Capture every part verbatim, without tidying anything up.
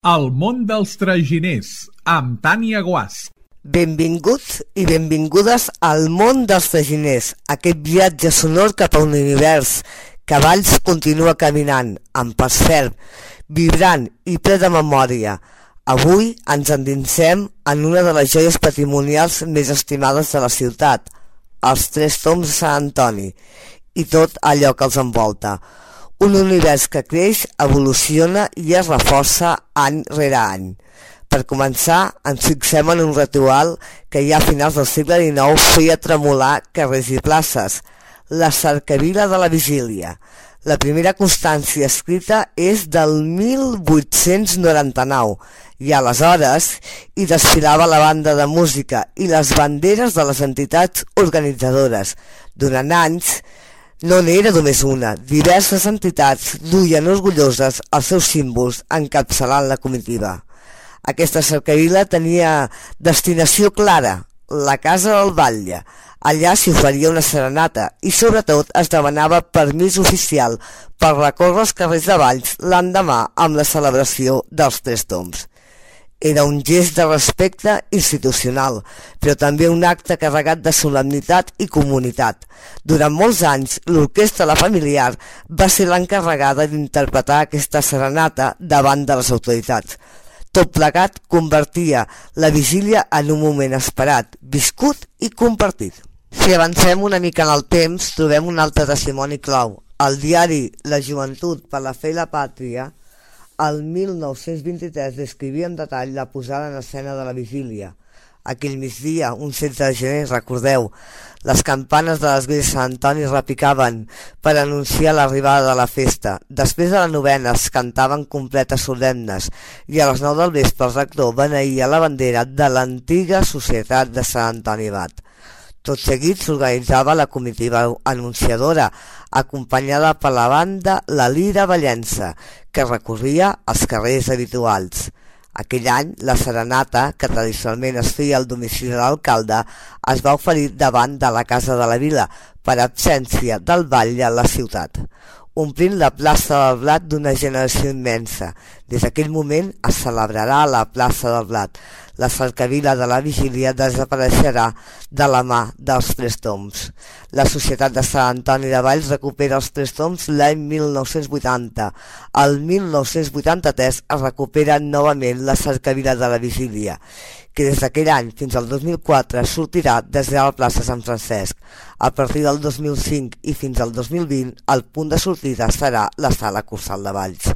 El món dels traginers, amb Tània Guasch. Benvinguts i benvingudes al món dels traginers, aquest viatge sonor cap a un univers que Valls continua caminant, amb pas ferm, vibrant i ple de memòria. Avui ens endinsem en una de les joies patrimonials més estimades de la ciutat, els Tres Tombs de Sant Antoni, i tot allò que els envolta. Un univers que creix, evoluciona i es reforça any rere any. Per començar, ens fixem en un ritual que ja a finals del segle dinou feia tremolar carrers i places, la cercavila de la vigília. La primera constància escrita és del mil vuit-cents noranta-nou i aleshores hi desfilava la banda de música i les banderes de les entitats organitzadores. Durant anys, no n'era només una, diverses entitats duien orgulloses els seus símbols encapçalant la comitiva. Aquesta cercavila tenia destinació clara, la casa del batlle. Allà s'hi oferia una serenata i sobretot es demanava permís oficial per recórrer els carrers de Valls l'endemà amb la celebració dels Tres Tombs. Era un gest de respecte institucional, però també un acte carregat de solemnitat i comunitat. Durant molts anys, l'orquestra La Familiar va ser l'encarregada d'interpretar aquesta serenata davant de les autoritats. Tot plegat convertia la vigília en un moment esperat, viscut i compartit. Si avancem una mica en el temps, trobem un altre testimoni clau. El diari La Joventut per la Fe i la Pàtria, el mil nou-cents vint-i-tres, descrivia en detall la posada en escena de la vigília. Aquell migdia, un setze de gener, recordeu, les campanes de l'església de Sant Antoni repicaven per anunciar l'arribada de la festa. Després de la novena es cantaven completes solemnes i a les nou del vespre el rector beneïa la bandera de l'antiga societat de Sant Antoni Abat. Tot seguit s'organitzava la comitiva anunciadora, acompanyada per la banda La Lira Vallensa, que recorria els carrers habituals. Aquell any, la serenata, que tradicionalment es feia al domicili de l'alcalde, es va oferir davant de la Casa de la Vila, per absència del batlle a la ciutat, omplint la plaça del Blat d'una generació immensa. Des d'aquell moment es celebrarà a la plaça del Blat. La cercavila de la vigília desapareixerà de la mà dels Tres Tombs. La Societat de Sant Antoni de Valls recupera els Tres Tombs l'any mil nou-cents vuitanta. El mil nou-cents vuitanta-tres es recupera novament la cercavila de la vigília, que des d'aquell any fins al dos mil quatre sortirà des de la plaça Sant Francesc. A partir del dos mil cinc i fins al dos mil vint, el punt de sortida serà la Sala Cursal de Valls.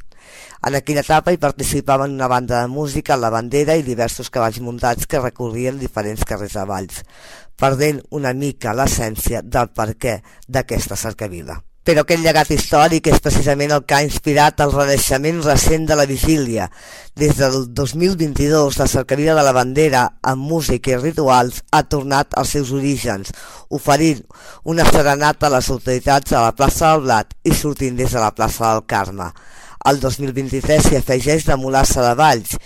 En aquella etapa hi participaven una banda de música, la bandera i diversos cavalls muntats que recorrien diferents carrers de Valls, perdent una mica l'essència del perquè d'aquesta cercavila. Però aquest llegat històric és precisament el que ha inspirat el renaixement recent de la vigília. Des del dos mil vint-i-dos, la cercavila de la bandera, amb música i rituals, ha tornat als seus orígens, oferint una serenata a les autoritats a la plaça del Blat i sortint des de la plaça del Carme. El dos mil vint-i-tres s'hi afegeix la mulassa de Valls.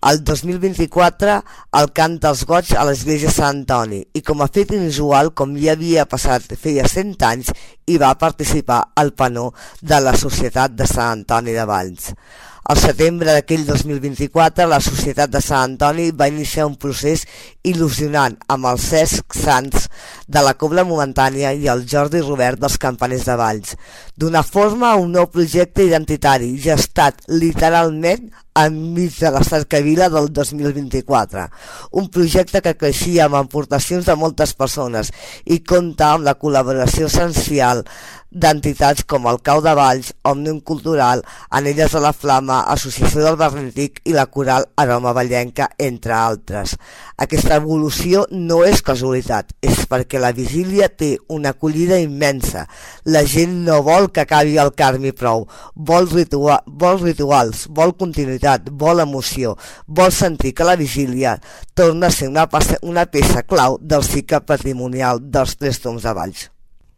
El dos mil vint-i-quatre el cant dels goig a l'església de Sant Antoni i com a fet inusual, com ja havia passat feia cent anys, hi va participar el penó de la Societat de Sant Antoni de Valls. Al setembre d'aquell dos mil vint-i-quatre, la Societat de Sant Antoni va iniciar un procés il·lusionant amb els Cesc Sants de la Cobla Momentània i el Jordi Robert dels Campaners de Valls, donar forma a un nou projecte identitari gestat literalment enmig de la cercavila del dos mil vint-i-quatre, un projecte que creixia amb aportacions de moltes persones i compta amb la col·laboració essencial d'entitats com el Cau de Valls, Òmnium Cultural, Anelles de la Flama, Associació del Barri Antic i la Coral Aroma Vallenca, entre altres. Aquesta evolució no és casualitat, és perquè la vigília té una acollida immensa. La gent no vol que acabi el Carme i prou, vol, ritua vol rituals, vol continuïtat, vol emoció, vol sentir que la vigília torna a ser una, una peça clau del cicle patrimonial dels Tres Tombs de Valls.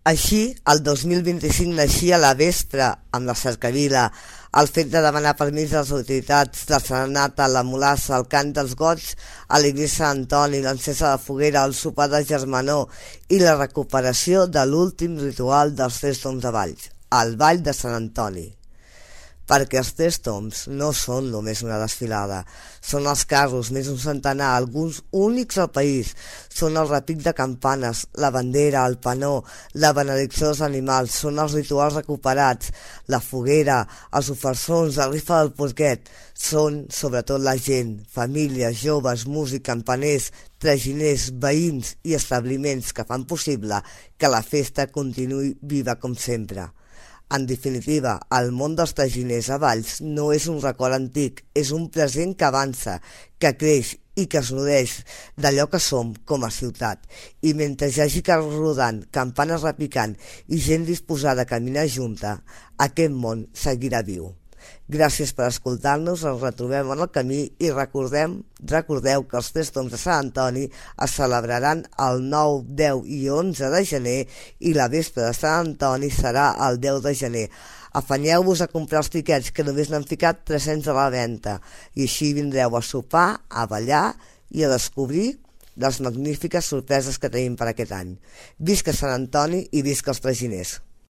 Així, el dos mil vint-i-cinc naixia la vespre amb la cercavila, el fet de demanar permís a les autoritats, la serenata, la mulassa, el cant dels goig a l'església de Sant Antoni, l'encesa de foguera, el sopar de germanor i la recuperació de l'últim ritual dels Tres Tombs de Valls, el Ball de Sant Antoni. perquè els Tres Tombs no són només una desfilada, són els carros, més un centenar, alguns únics al país, són el repic de campanes, la bandera, el panó, la benedicció dels animals, són els rituals recuperats, la foguera, els ofersons, la rifa del porquet, són sobretot la gent, famílies, joves, músics, campaners, traginers, veïns i establiments que fan possible que la festa continuï viva com sempre. En definitiva, el món dels traginers a Valls no és un record antic, és un present que avança, que creix i que es nodreix d'allò que som com a ciutat. I mentre hi hagi carros rodant, campanes repicant i gent disposada a caminar junta, aquest món seguirà viu. Gràcies per escoltar-nos, ens retrobem en el camí i recordem, recordeu que els Tres Tombs de Sant Antoni es celebraran el nou, deu i onze de gener i la vespra de Sant Antoni serà el deu de gener. Afanyeu-vos a comprar els tiquets, que només n'han ficat tres-cents a la venda, i així vindreu a sopar, a ballar i a descobrir les magnífiques sorpreses que tenim per aquest any. Visca Sant Antoni i visca els traginers!